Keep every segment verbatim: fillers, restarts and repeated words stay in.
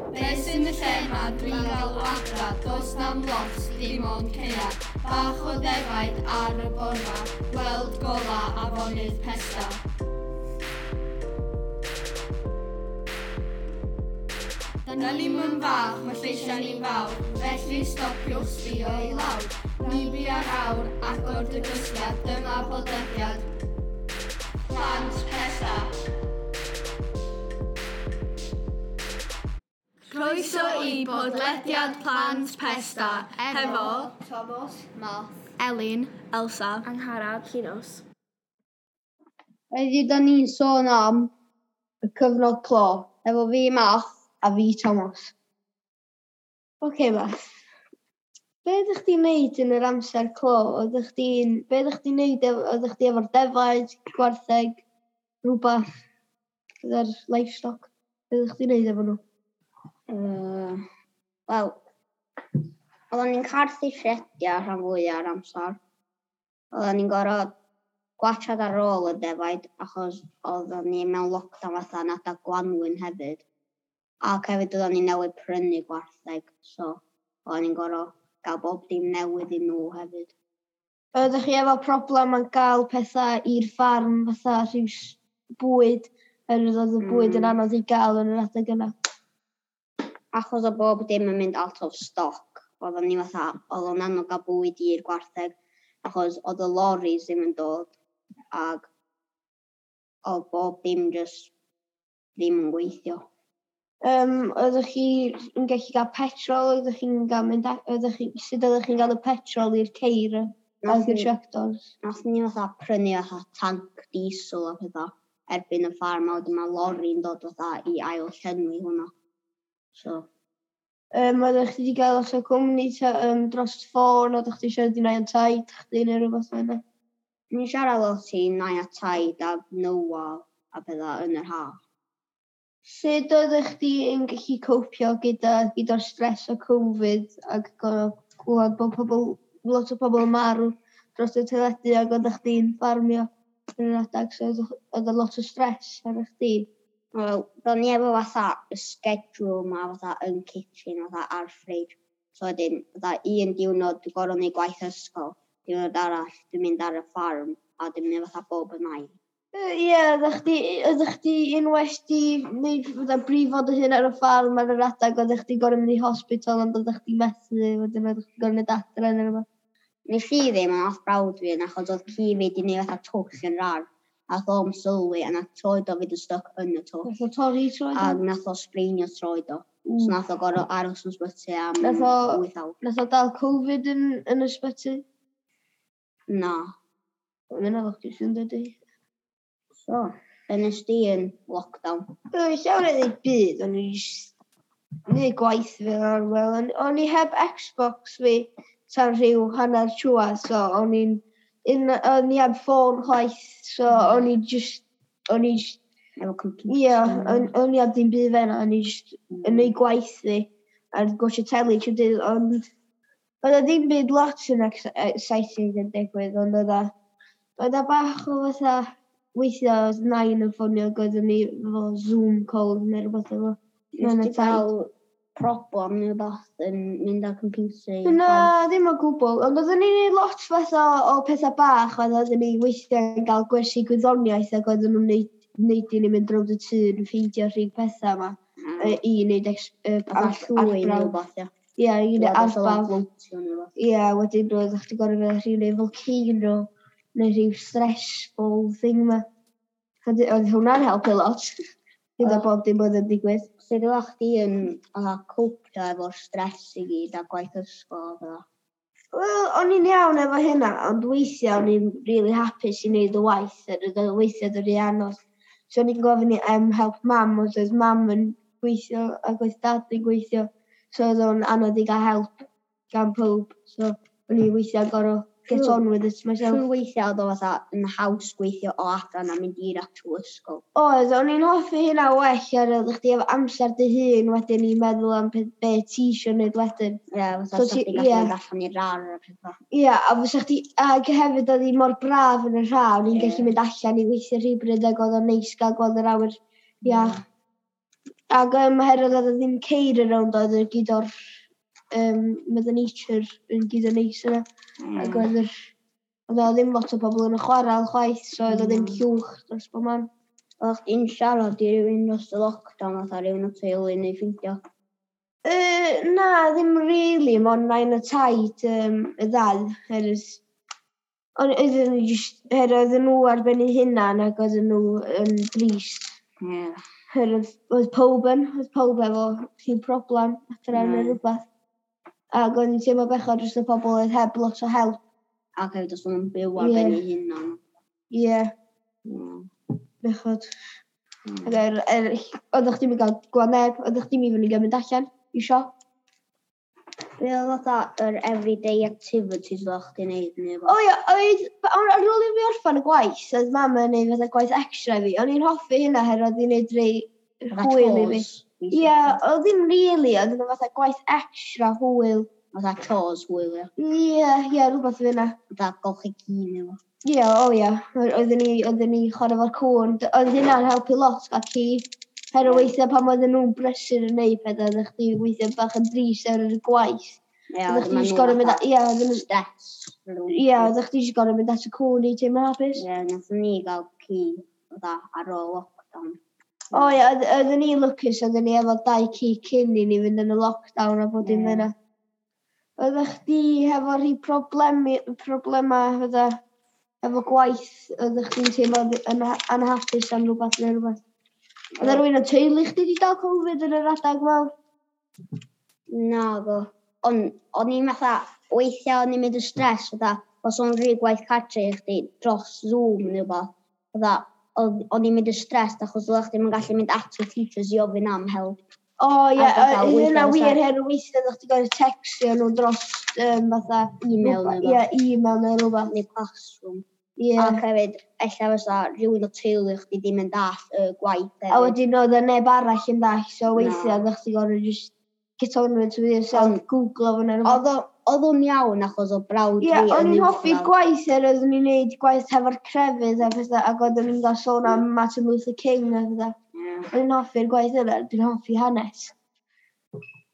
Be sy'n y lle ma dwi'n galw adra, does na'm lot, dim ond ceia. Bach o ddefaid ar y borfa, gweld gola afonydd Pesda. Da ni'm yn fach, mae lleisiau ni'n fawr, felly stopiwch sbio i lawr. Ni bia'r awr, agor dy gysgiad, dyma podlediad. Plant Pesda. Croeso i podlediad Plant Pesda efo Thomas, Math, Elin, Elsa, Angharad, Llinos. Heddiw da ni'n sôn am y cyfnod clo efo fi Math a fi Thomas. Oce okay, Math, be ydych chdi'n neud yn yr amser clo? Oeddech chdi'n, be ydych chdi'n neud, oeddech chdi efo'r defaid, gwartheg, rhywbeth gyda'r livestock? Be ydych chdi'n neud efo nhw? Uh, Wel, oedden ni'n carthu siediau rhan fwyaf o'r amser. Oedden ni'n gorfod gwatsiad ar ôl y defaid achos oedden ni mewn lockdown fatha yn adag gwanwyn hefyd. Ac hefyd oedden ni newydd prynu gwartheg, so oedden ni'n gorfod gael bob dim newydd i nhw hefyd. Oeddech chi efo problem yn gael pethau i'r ffarm fatha rhyw bwyd, oherwydd oedd y bwyd mm. yn anodd i gael yn yr adeg yna? Achos o bob dim yn mynd out of stock, oedden ni fatha, oedd o'n anodd gael bwyd i'r gwartheg, achos oedd y lorries ddim yn dod, ac oedd bob dim just ddim yn gweithio. Um, oeddech chi yn gallu cael petrol, oeddech chi'n gael mynd, oeddech chi, sut oeddech chi'n gael y petrol i'r ceir ac i'r tractors? Nath ni fatha prynu fatha tank diesel a pethau erbyn y ffarm, a wedyn mae lorry'n dod fatha i ail llenwi hwnna. So. Um, oeddech chi wedi gael os o cwmni ta, um, dros ffôn, oeddech chi siarad i nain taid chdi neu rhywbeth fel yna? Ni'n siarad lot i nain a taid a Noah a pethau yn yr haf. Sut oeddech chdi yn gallu copio gyda, gyda'r stress o Covid ac gorfod clywed bod pobl, lot o pobl yn marw dros y teledu ac oeddech chdi'n ffarmio yn yr adeg, so oedd lot o stress ar chdi? Wel, do'n ni efo fatha y schedule ma fatha yn kitchen, fatha ar fridge. So wedyn, fatha un diwrnod dwi'n gorfod neud gwaith ysgol, diwrnod arall dwi'n mynd ar y ffarm, a dwi'n mynd fatha bob yn ail. Ie, yeah, oeddech chdi, oeddech chdi unwaith di wneud fatha brifo dy hun ar y ffarm ar yr adeg, oeddech chdi gorfod mynd i hospital ond oeddech chdi methu, wedyn oeddech chdi gorfod mynd adre neu rhywbeth. Nes i ddim, ond nath brawd fi yn achos oedd ci fi wedi gwneud fatha twll yn rar. Nath o'm sylwi a nath troed o fynd yn stuck yn y twll. Nath o torri troed o? A nath o sbreinio troed o. Mm. So nath o gorfod aros yn ysbyty am nath o, wyth awr. Nath o dal Covid yn, yn ysbyty? Na. Mae'n anodd chdi sy'n dydi. So, be nes di yn lockdown? Yy, llawer o ddim byd, o'n i jyst neud gwaith fi ar wel. O'n i heb Xbox fi tan rhyw hanner trwad, so o'n i'n Un, o'n i heb ffôn chwaith, so o'n i just, o'n i just... Efo computer. Ie, yeah, o'n, o'n i heb ddim byd fe o'n i just mm. yn neud gwaith fi, a'r gwatsio teli trwy dydd, ond oedd o ddim byd lot yn exciting yn digwydd, ond oedd o, oedd o bach o fatha, weithiau oedd nain yn ffonio ac oeddwn ni efo Zoom call neu rhywbeth efo. Nes ti gael problem neu rhywbeth yn mynd ar computer? Na, ddim o gwbl. Ond oeddwn ni'n neud lot fatha o pethau bach, oedd oeddwn ni weithiau yn cael gwersi gwyddoniaeth ac oeddwn nhw'n neud, neud i ni mynd rownd y tŷ yn ffeindio rhyw pethau yma mm. i wneud ex, uh, llwy neu rhywbeth, ie. Ie, i wneud arbawf. Ie, wedyn roedd chdi gorfod feddwl rhyw neu volcano neu rhyw stressful thing yma. Oedd hwnna'n helpu lot. Gyda bob dim oedd yn digwydd. Sut oeddech chdi yn copio efo'r stress i gyd a gwaith ysgol a fel? Wel, o'n i'n iawn efo hynna, ond weithiau o'n i'n really hapus i wneud y waith, a oedd o weithiau oedd yn anodd. So o'n i'n gofyn i um, help mam, os oedd mam yn gweithio ac oedd dad yn gweithio. So oedd o'n anodd i gael help gan pob. So o'n i weithiau gorfod get on with it myself. Siŵr weithiau oedd o fatha yn haws gweithio o adra na mynd i'r actual ysgol. Oedd, o'n i'n hoffi hynna well ar oedd chdi efo amser dy hun wedyn i meddwl am pe, be ti isio wneud wedyn. Ie, yeah, fatha so sa chdi gallu mynd allan i'r ardd a pethau. Ie, yeah, a fysa chdi, ac hefyd oedd hi mor braf yn yr haf, o'n i'n yeah. gallu mynd allan i weithio rhywbryd ac oedd o'n neis gael gweld yr awyr iach. Ac um, oherwydd oedd ddim ceir around, oedd y gyd o'r um, Mother Nature yn gyd o neis yna. Mm. Ac oedd yr, oedd o ddim lot o bobl yn y chwarel chwaith, so oedd o ddim mm. llwch dros bob man. Oedd chdi'n siarad i rywun dros y lockdown, fatha rywun o teulu neu ffeindio? Uh, na, ddim really, mond nain a taid um, y ddau. Herwydd, ond oedden nhw just, herwydd oedden nhw ar ben eu hunan ac oedden nhw yn drist. Yeah. Herwydd oedd pob yn, oedd pob efo rhyw problem adra mm. neu rhywbeth. Ac o'n i'n teimlo bechod dros y pobl oedd heb lot o help. Ac hefyd os nhw'n byw ar ben eu hunan. Ie. Yeah. Mm. Bechod. Mm. Ac er, er, oeddech chdi'n gael gweld neb, oeddech chdi'n mynd i gael mynd allan i siop. Be oedd fatha yr everyday activities oeddech chdi'n neud neu O ia, oedd, ar ar ôl i fi orffan y gwaith, oedd mam yn neud fatha gwaith extra i fi. O'n i'n hoffi hynna herwydd oedd hi'n neud rei hwyl i fi. Ie, oedd ddim really, oedd nhw fatha gwaith extra hwyl. Fatha chores hwyl, ie. Ie, ie, rhywbeth fel yna. Fatha golchi ci neu rhywbeth. Ie, o ie. Oedden ni, oedden ni chwarae fo'r cwn. Oedd hynna'n helpu lot gael ci. Herwydd weithiau pan oedden nhw'n brysur yn neud pethau, oeddech chdi weithiau bach yn drist ar y gwaith. Ie, Oeddech chdi jyst gorfod mynd, ie, oedden nhw, stress. ie, oeddech chdi jyst gorfod mynd at y cwn i teimlo'n hapus. Ie, nathon ni gael ci fatha ar ôl lockdown. O ie, oedden ni lwcus, oedden ni efo dau ci cyn i ni fynd yn y lockdown a bod dim Ie. yna. Oeddech chdi hefo rhai problemi, problema fatha, efo gwaith, oeddech chdi'n teimlo yn anhapus am rhywbeth neu rhywbeth? Oedd rhywun o teulu chdi wedi dal Covid yn yr adag mawr? Naddo. Ond o'n i'n fatha, weithiau o'n i'n mynd yn stress, fatha, os o'n rhy gwaith cartre i chdi dros Zoom neu rhywbeth, fatha, o'n i'n mynd yn stress achos oeddech chdi'm yn gallu mynd at y teachers i ofyn am help. O ie, A fatha, yy, hynna weithiau wir, fysa- herwydd weithiau oeddech chdi gorfod textio nhw dros um, fatha... Email neu Ie, email neu rhywbeth. Neu classroom. Ie. Ac hefyd, ella fysa rhywun o teulu chdi ddim yn dallt y gwaith A hefyd. wedyn oedd y neb arall yn dallt, so weithiau Na. oeddech chdi gorfod just get on with it yourself, Ond- Googlo fo neu rhywbeth. Oedd o- oedd o'n iawn achos o brawd Ie, fi o'n yn i'n hoffi'r uwchradd. gwaith er oeddwn i'n neud gwaith hefo'r crefydd a pethau, ac oeddwn i'n gael sôn am Martin Luther King a pethau. Ie. O'n i'n hoffi'r gwaith yna, dwi'n hoffi hanes.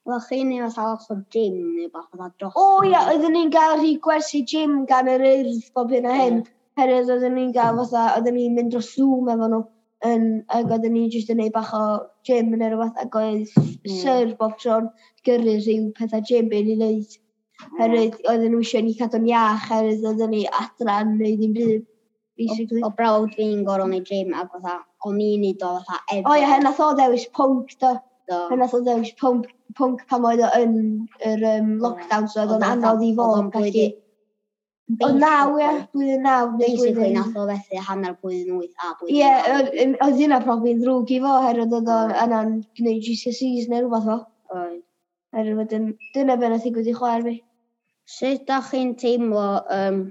Wel, chi'n neud fatha lot o gym neu bach fatha dros. O ie, oeddwn ni'n gael rhy gwersi gym gan yr Urdd bob hyn a hyn. Herwydd oeddwn ni'n gael fatha, oeddwn ni'n mynd dros Zoom efo nhw. Yn, ac oeddwn ni jyst yn neud bach o gym neu rhywbeth, ac oedd Ie. syr bob tro'n gyrru rhyw pethau gym i ni wneud. Herwydd oedden nhw eisiau ni cadw'n iach, herwydd oedden ni adra yn neud ddim byd, basically. O brawd fi'n gorfod neud gym ac fatha, o'n i'n neud o fatha every. O ie, hen nath o ddewis pwnc, do. Do. Hen nath o ddewis pwnc, pwnc pan oedd o yn yr um, lockdown, so oedd o'n anodd i fo Oedd o'n gallu... blwyddyn- O naw, ie, blwyddyn naw. neu Basically, blwyddyn- nath o fethu hanner blwyddyn wyth a blwyddyn Ie, naw. oedd oedd hynna probably yn ddrwg i fo, oherwydd oedd o yna'n gwneud G C S Es neu rhywbeth o. Oedd. Oherwydd wedyn, dyna be nath ddigwydd i chwaer fi. Sut dach chi'n teimlo um,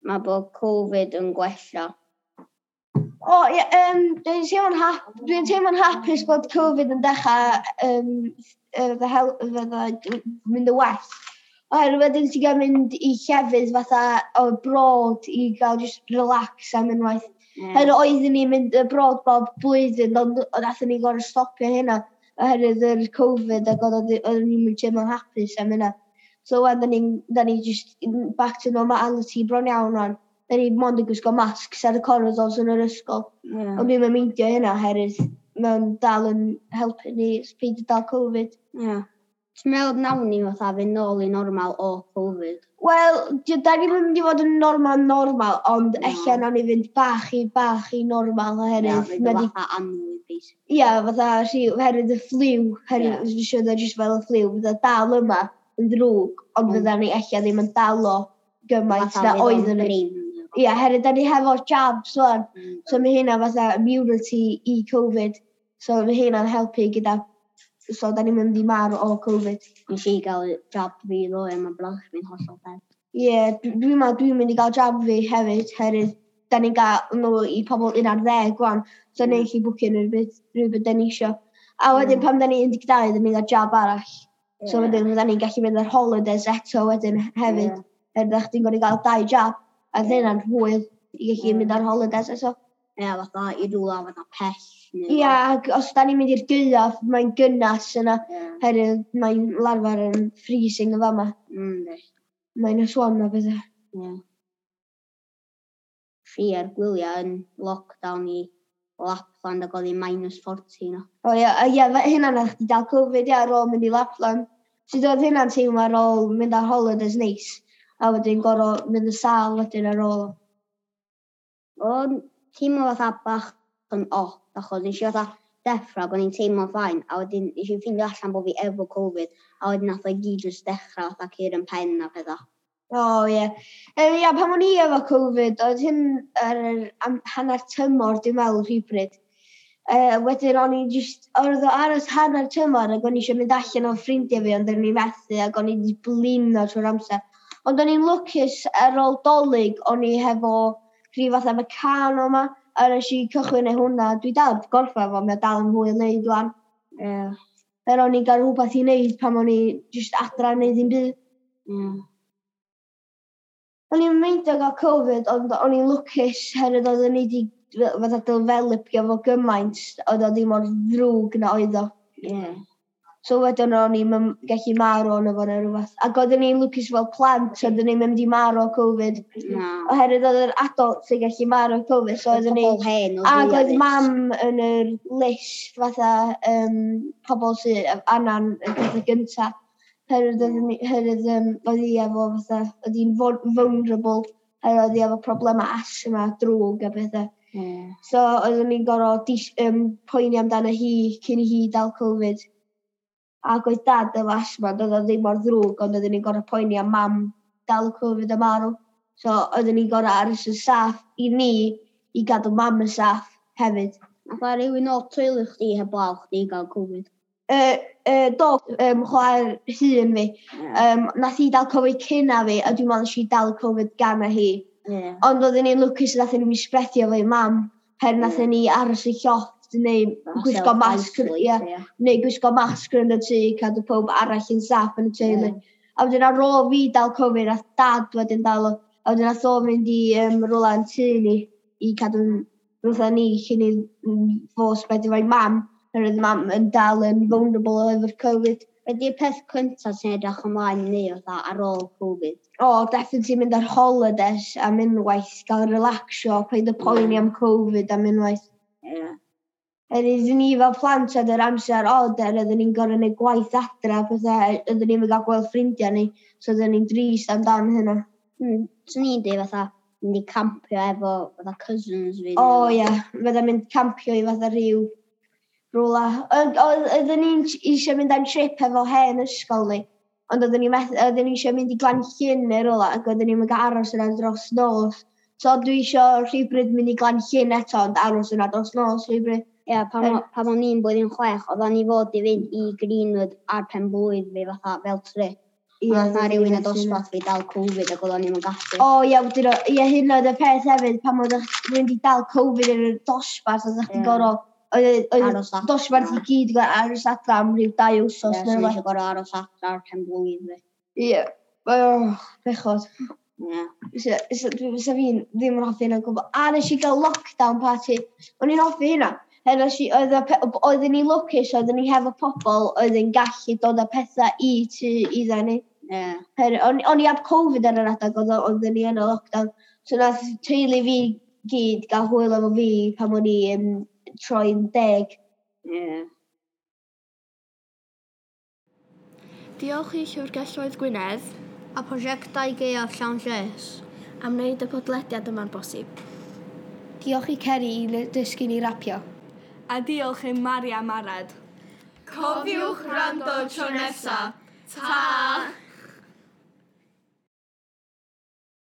mae bod Covid yn gwella? O, ie, um, dwi'n teimlo'n hap dwi'n teimlo'n hapus bod Covid yn dechrau um, fydda hel fydda mynd yn well. Oherwydd wedyn ti'n gael mynd i llefydd fatha abroad i gael just relax am unwaith. Ie. Oherwydd oeddwn ni'n mynd abroad bob blwyddyn, ond nathon ni gorfod stopio hynna oherwydd yr Covid ac oedd oeddwn ni'n mynd teimlo'n hapus am hynna. So wan, da ni'n da ni just back to normality bron iawn rwan. Da ni mond yn gwisgo masks ar y corridors yn yr ysgol. Ie. Ond dwi'n meindio hynna oherwydd mae'n dal yn helpu ni peidio dal Covid. Ie. Ti'n meddwl nawn ni fatha fynd nôl i normal o Covid? Wel, di- da ni'n mynd i fod yn normal normal, ond Na. ella nawn ni fynd bach i bach i normal Ie, oherwydd fynd ma' di fatha annwyd, basically. Ie, fatha rhyw, oherwydd y ffliw, oherwydd Ie. dwi'n siŵr jyst fel y ffliw, fydda dal yma yn ddrwg, ond Ond- fydda ni ella ddim yn dal o gymaint Fatha na fydd o'n oeddwn ni. brin. Ie, oherwydd da ni hefo jabs wan, Mm. so mae hynna fatha immunity i Covid, so mae hynna'n helpu gyda, so da ni'n mynd i marw o Covid. Nes i gael jab fi ddoe, mae brawd fi'n hollol dead. Ie, dwi- dwi'n meddwl dwi'n mynd i gael jab fi hefyd, oherwydd da ni'n gael nhw i pobl un ar ddeg wan, so Mm. ni'n gallu bwcio nhw rhywbeth, rhywbeth da ni isio. A wedyn Mm. pan da ni un deg dau, da ni'n gael jab arall. So Ie. wedyn fydda ni'n gallu mynd ar holidays eto wedyn hefyd. Ie. Er ddech chdi'n gorfod gael dau jab, a Ie. hynna'n hwyl i gallu Ie. mynd ar holidays eto. Ie, fatha i rhywle fatha pell. Ia, ac os da ni'n mynd i'r gaeaf, mae'n gynnas yna. Yeah. Herwydd mae'n larfar yn freezing yn fama. Mm, Minus one a bethau. Ie. Fi ar gwyliau yn lockdown i Lapland ac oedd hi minus forty no. O ie, ie, hynna nath chdi dal Covid, ie, ar ôl mynd i Lapland. Sut oedd hynna'n teimlo ar ôl mynd ar holidays neis, a wedyn gorfod mynd yn sâl wedyn ar ôl? O'n teimlo fatha bach yn odd, achos nes i fatha deffro ac o'n i'n teimlo fine, a wedyn nes i ffeindio allan bod fi efo Covid, a wedyn nath o i gyd jyst dechrau fatha cur yn pen a pethau. O ie. Um, ia, pan o'n i efo Covid, oedd hyn ar yr am, hanner tymor, dwi'n meddwl, rhywbryd. Uh, wedyn o'n i just, oedd o aros hanner tymor ac o'n i eisiau mynd allan o ffrindiau fi, ond o'n i'n methu ac o'n i wedi blino trwy'r amser. Ond o'n i'n lwcus ar ôl Dolig, o'n i hefo rhyw fath efo Meccano yma, a nes i cychwyn ei hwnna. Dwi dal heb gorffen fo, mae o dal yn hwyl wneud wan. Ie. Yeah. Er o'n i'n gael rhywbeth i wneud pan o'n i just adra yn neud ddim byd. Ie. O'n i'n meindio gael Covid, ond o'n i'n lwcus herwydd oeddwn i wedi fatha developio fo gymaint, oedd o ddim mor ddrwg na oedd o. Ie. So wedyn o'n i'n gallu marw ono fo neu rhywbeth. Ac oeddwn i'n lwcus fel plant, oeddwn i'n mynd i marw o Covid. Na. Oherwydd oedd yr adult sy'n gallu marw o Covid, so oeddwn i... Pobl hen oedd Ac fwya oedd risk. Mam yn yr list fatha um, pobl sydd annan y pethau gynta. Herwydd oeddwn i- herwydd um, oedd hi efo fatha, oedd hi'n vulnerable, herwydd oedd hi efo problemau asthma drwg a pethau. Ie. So oeddwn i'n gorfod dis, um, poeni amdano hi cyn i hi dal Covid. Ac oedd dad efo asthma, doedd o ddim mor ddrwg, ond oeddwn i'n gorfod poeni am mam dal Covid a marw. So oeddwn i'n gorfod aros yn saff i ni i gadw mam yn saff hefyd. Nath o rhywun o'r teulu chdi heblaw chdi gael Covid? Uh, uh, do, um, chwaer hŷn fi. Ie. Um, nath hi dal Covid cynna fi, a dwi'n meddwl nes i dal Covid gan hi. Ie. Ond oeddwn ni'n lwcus nath ni spreadio fo i mam, her nath ni aros y llofft neu gwisgo masg, Self-isolate, ie, ie. neu gwisgo masg yn y tŷ, cadw pob arall yn saff yn y teulu. Ie. A wedyn ar ôl fi dal Covid, nath dad wedyn dal o. A wedyn nath o mynd i um, rwla yn tŷ ni i cadw'n rwtha ni cyn i mm, fo spreadio fo i mam. Oherwydd mam yn dal yn vulnerable efo'r Covid. Be di'r peth cyntaf sy'n edrych ymlaen i neud fatha ar ôl Covid? O, oh, definitely mynd ar holidays am unwaith, gael relaxio, paid â poeni Ie. am Covid am unwaith. Ie. Er iddyn ni fel plant oedd yr amser od, er oedden ni'n gorfod gwneud gwaith adra, pethau, oedden ni'n gael gweld ffrindiau ni, so oedden ni'n drist amdan hynna. Mm, Swn i'n dweud fatha mynd i campio efo fatha cousins fi. O oh, ie, yeah. Fydda mynd campio i fatha rhyw rwla. Oedd- oedd- Oedden ni'n eisiau mynd am trip efo hen ysgol ni, ond oedden ni'n meth- oedden ni eisiau mynd i Glan Llyn neu rwla, ac oedden ni'n mynd aros yna dros nos. So dwi eisiau rhywbryd mynd i Glan Llyn eto, ond aros yna dros nos rhywbryd. Ie, pan, o- pan o'n i'n blwyddyn chwech, oedden ni fod i fynd i Greenwood ar pen blwydd fi fatha fel trip. Ie, Ond nath rhywun y ie, dosbarth fi dal Covid ac oedden ni'n gallu. O ie, wedyn o- ie, hyn oedd y peth hefyd, pan oedd rhywun wedi dal Covid yn y dosbarth, oedd chdi Ie. gorfod, oedd oedd Aros adra. dosbarth i gyd gorfod aros adra am ryw dau wsos Ie, neu so rhywbeth. eisiau gorfod aros adra ar pen blwydd fi. Ie, oh, bechod. Ie. Fysa fysa fi'n ddim yn hoffi hynna o gwbl. A nes i gael lockdown party. O'n i'n hoffi hynna. Her nes i, oedd y pe- oedden ni lwcus, oedden ni hefo pobl oedd yn gallu dod â pethau i tŷ iddo ni. Ie. Her, o'n, o'n i ab Covid ar yr adeg, oedd oedden ni yn y lockdown. So nath teulu fi gyd gael hwyl efo fi pan o'n i um, troi'n deg. Ie. Diolch i Llyfrgelloedd Gwynedd A prosiectau gaeaf llawn lles. Am wneud y podlediad yma'n bosib. Diolch i Ceri i dysgu ni rapio. A diolch i Maria Marad. Cofiwch wrando tro nesa. Ta!